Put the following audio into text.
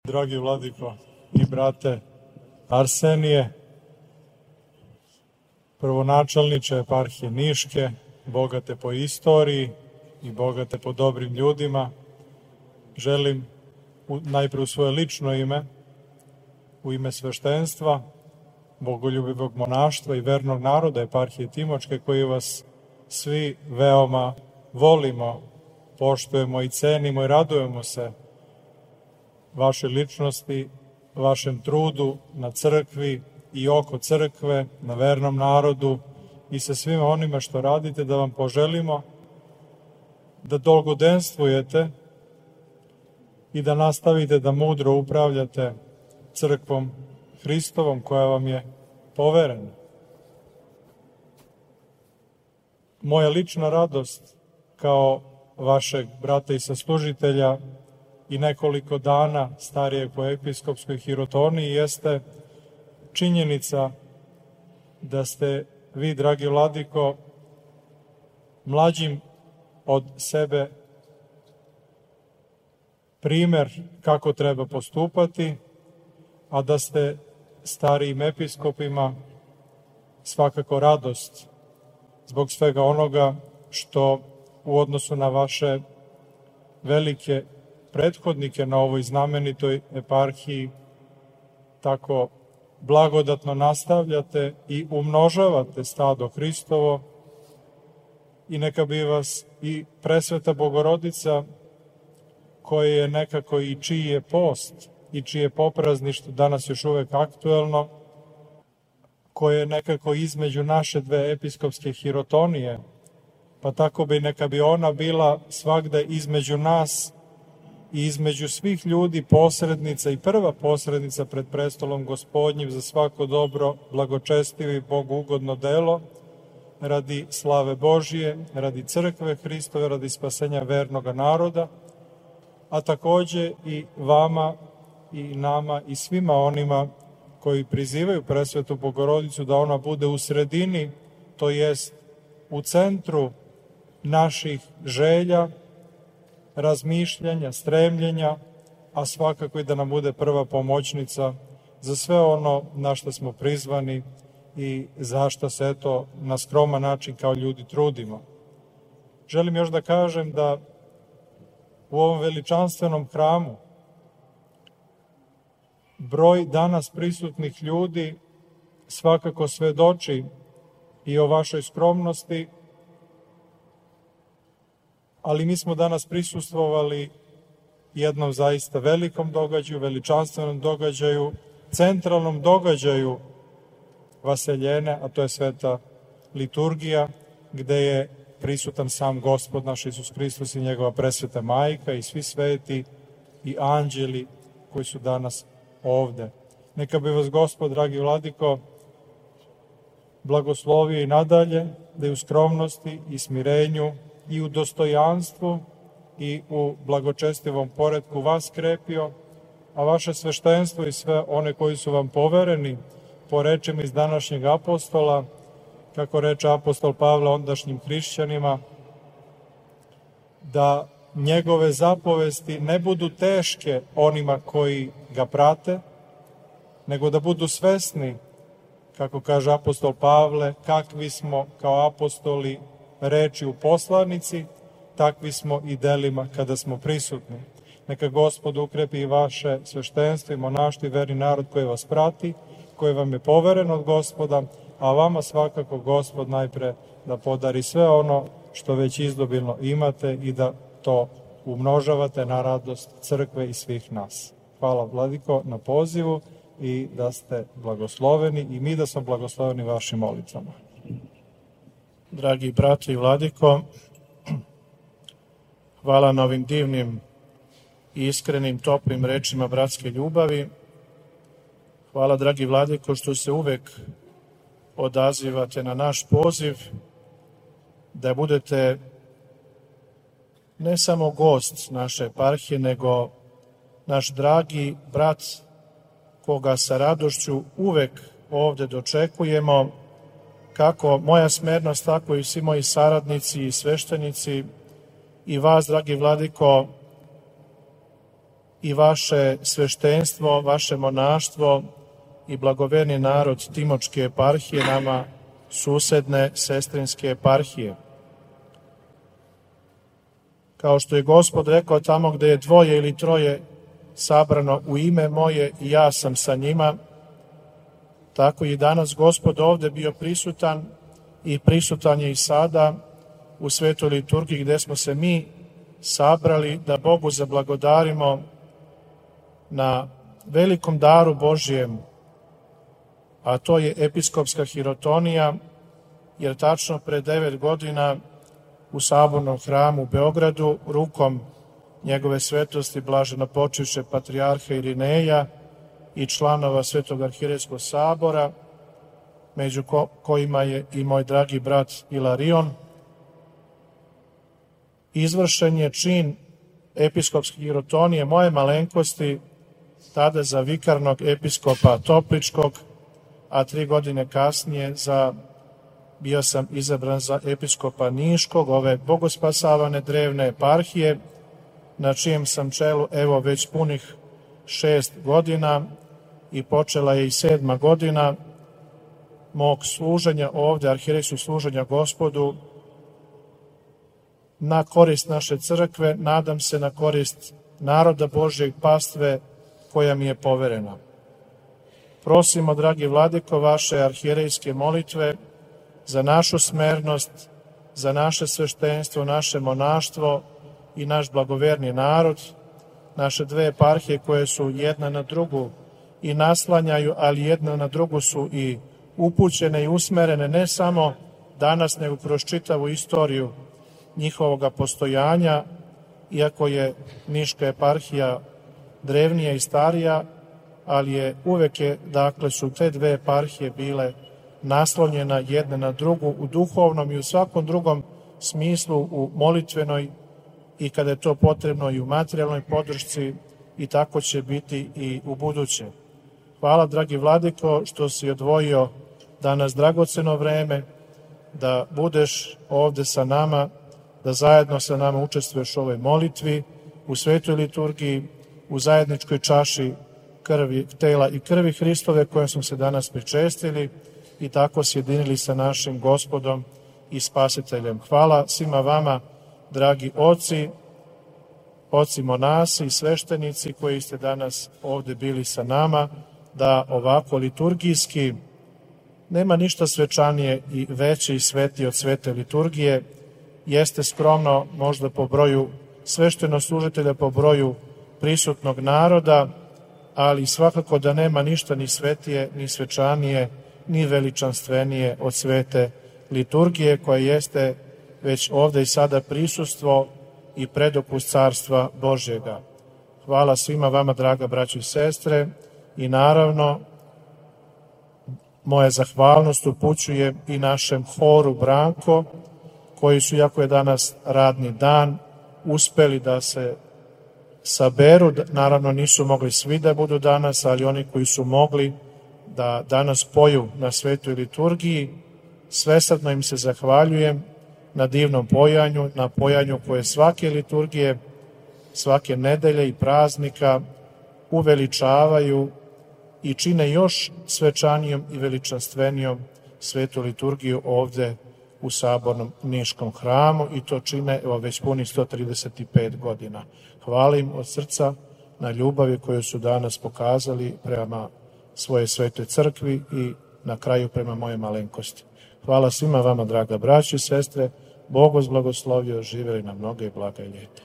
Dragi vladiko i brate Arsenije, prvonačelniče eparhije Niške, bogate po istoriji i bogate po dobrim ljudima, želim najpre u svoje lično ime, u ime sveštenstva, bogoljubivog monaštva i vernog naroda eparhije Timočke, koji vas svi veoma volimo, poštujemo i cenimo i radujemo se vašoj ličnosti, vašem trudu na crkvi i oko crkve, na vernom narodu i sa svima onima što radite, da vam poželimo da dolgodenstvujete i da nastavite da mudro upravljate crkvom Hristovom koja vam je poverena. Moja lična radost kao vašeg brata i saslužitelja i nekoliko dana starijeg po episkopskoj hirotoniji jeste činjenica da ste vi, dragi vladiko, mlađim od sebe primer kako treba postupati, a da ste starijim episkopima svakako radost zbog svega onoga što u odnosu na vaše velike prethodnike na ovoj znamenitoj eparhiji tako blagodatno nastavljate i umnožavate stado Hristovo, i neka bi vas i presveta Bogorodica, koje je nekako i čiji je post i čije poprazništvo danas još uvek aktuelno, koje je nekako između naše dve episkopske hirotonije, pa tako bi neka bi ona bila svagda između nas i između svih ljudi posrednica i prva posrednica pred prestolom Gospodnjim za svako dobro, blagočestivo i Bogu ugodno delo, radi slave Božije, radi crkve Hristove, radi spasenja vernoga naroda, a takođe i vama i nama i svima onima koji prizivaju presvetu Bogorodicu da ona bude u sredini, to jest u centru naših želja, razmišljanja, stremljenja, a svakako i da nam bude prva pomoćnica za sve ono na što smo prizvani i za što se eto na skroman način kao ljudi trudimo. Želim još da kažem da u ovom veličanstvenom hramu broj danas prisutnih ljudi svakako svedoči i o vašoj skromnosti, ali mi smo danas prisustvovali jednom zaista velikom događaju, veličanstvenom događaju, centralnom događaju vaseljene, a to je sveta liturgija, gde je prisutan sam Gospod naš Isus Hristos i njegova presveta majka i svi sveti i anđeli koji su danas ovde. Neka bi vas Gospod, dragi vladiko, blagoslovio i nadalje, da je u skromnosti i smirenju i u dostojanstvu i u blagočestivom poretku vas krepio, a vaše sveštenstvo i sve one koji su vam povereni po rečima iz današnjeg apostola, kako reče apostol Pavle ondašnjim hrišćanima, da njegove zapovesti ne budu teške onima koji ga prate, nego da budu svesni, kako kaže apostol Pavle, kakvi smo kao apostoli reči u poslanici, takvi smo i delima kada smo prisutni. Neka Gospod ukrepi i vaše sveštenstvo i monaštvo i verni narod koji vas prati, koji vam je poveren od Gospoda, a vama svakako Gospod najpre da podari sve ono što već izdobilno imate i da to umnožavate na radost crkve i svih nas. Hvala, vladiko, na pozivu i da ste blagosloveni i mi da smo blagosloveni vašim molitvama. Dragi brate i vladiko, hvala na ovim divnim i iskrenim, toplim rečima bratske ljubavi. Hvala, dragi vladiko, što se uvek odazivate na naš poziv, da budete ne samo gost naše eparhije, nego naš dragi brat, koga sa radošću uvek ovde dočekujemo, kako moja smernost, tako i svi moji saradnici i sveštenici i vas, dragi vladiko, i vaše sveštenstvo, vaše monaštvo i blagoverni narod Timočke eparhije, nama susedne sestrinske eparhije. Kao što je Gospod rekao, tamo gde je dvoje ili troje sabrano u ime moje i ja sam sa njima, tako i danas Gospod ovde bio prisutan i prisutan je i sada u svetoj liturgiji gde smo se mi sabrali da Bogu zablagodarimo na velikom daru Božjem, a to je episkopska hirotonija, jer tačno pre 9 godina u Sabornom hramu u Beogradu rukom njegove svetosti blaženopočivše patrijarha Irineja i članova Svetog arhirejskog sabora, među kojima je i moj dragi brat Ilarion, izvršen je čin episkopske hirotonije moje malenkosti, tada za vikarnog episkopa Topličkog, a 3 godine kasnije bio sam izabran za episkopa Niškog, ove bogospasavane drevne eparhije, na čijem sam čelu evo već punih 6 godina i počela je i 7. godina mog služenja ovde, arhirejskog služenja Gospodu, na korist naše crkve, nadam se na korist naroda Božjeg, pastve koja mi je poverena. Prosimo, dragi vladiko, vaše arhijerejske molitve za našu smernost, za naše sveštenstvo, naše monaštvo i naš blagoverni narod, naše 2 eparhije koje su jedna na drugu i naslanjaju, ali jedna na drugu su i upućene i usmerene ne samo danas, nego kroz čitavu istoriju njihovoga postojanja, iako je Niška eparhija drevnija i starija, ali uvek su te 2 eparhije bile naslonjena jedna na drugu u duhovnom i u svakom drugom smislu, u molitvenoj i kada je to potrebno i u materijalnoj podršci, i tako će biti i u buduće. Hvala, dragi vladiko, što si odvojio danas dragoceno vreme da budeš ovde sa nama, da zajedno sa nama učestvuješ u ovoj molitvi, u svetoj liturgiji, u zajedničkoj čaši tela i krvi Hristove kojom smo se danas pričestili i tako sjedinili sa našim Gospodom i Spasiteljem. Hvala svima vama, dragi oci monasi i sveštenici koji ste danas ovde bili sa nama, da ovako liturgijski, nema ništa svečanije i veće i svetije od svete liturgije, jeste skromno možda po broju sveštenoslужitelja, po broju prisutnog naroda, ali svakako da nema ništa ni svetije, ni svečanije, ni veličanstvenije od svete liturgije, koja jeste već ovde i sada prisustvo i predokus Carstva Božjega. Hvala svima vama, draga braćo i sestre, i naravno moja zahvalnost upućuje i našem horu Branko, koji su, iako je danas radni dan, uspeli da se saberu. Naravno nisu mogli svi da budu danas, ali oni koji su mogli da danas poju na svetoj liturgiji, svesrdno im se zahvaljujem na divnom pojanju, na pojanju koje svake liturgije, svake nedelje i praznika uveličavaju i čine još svečanijom i veličanstvenijom svetu liturgiju ovde u Sabornom Niškom hramu, i to čine već punih 135 godina. Hvala im od srca na ljubavi koju su danas pokazali prema svoje svetoj crkvi i na kraju prema moje malenkosti. Hvala svima vama, draga braćo i sestre, Bog vas blagoslovio, živeli na mnoge blaga i ljeta.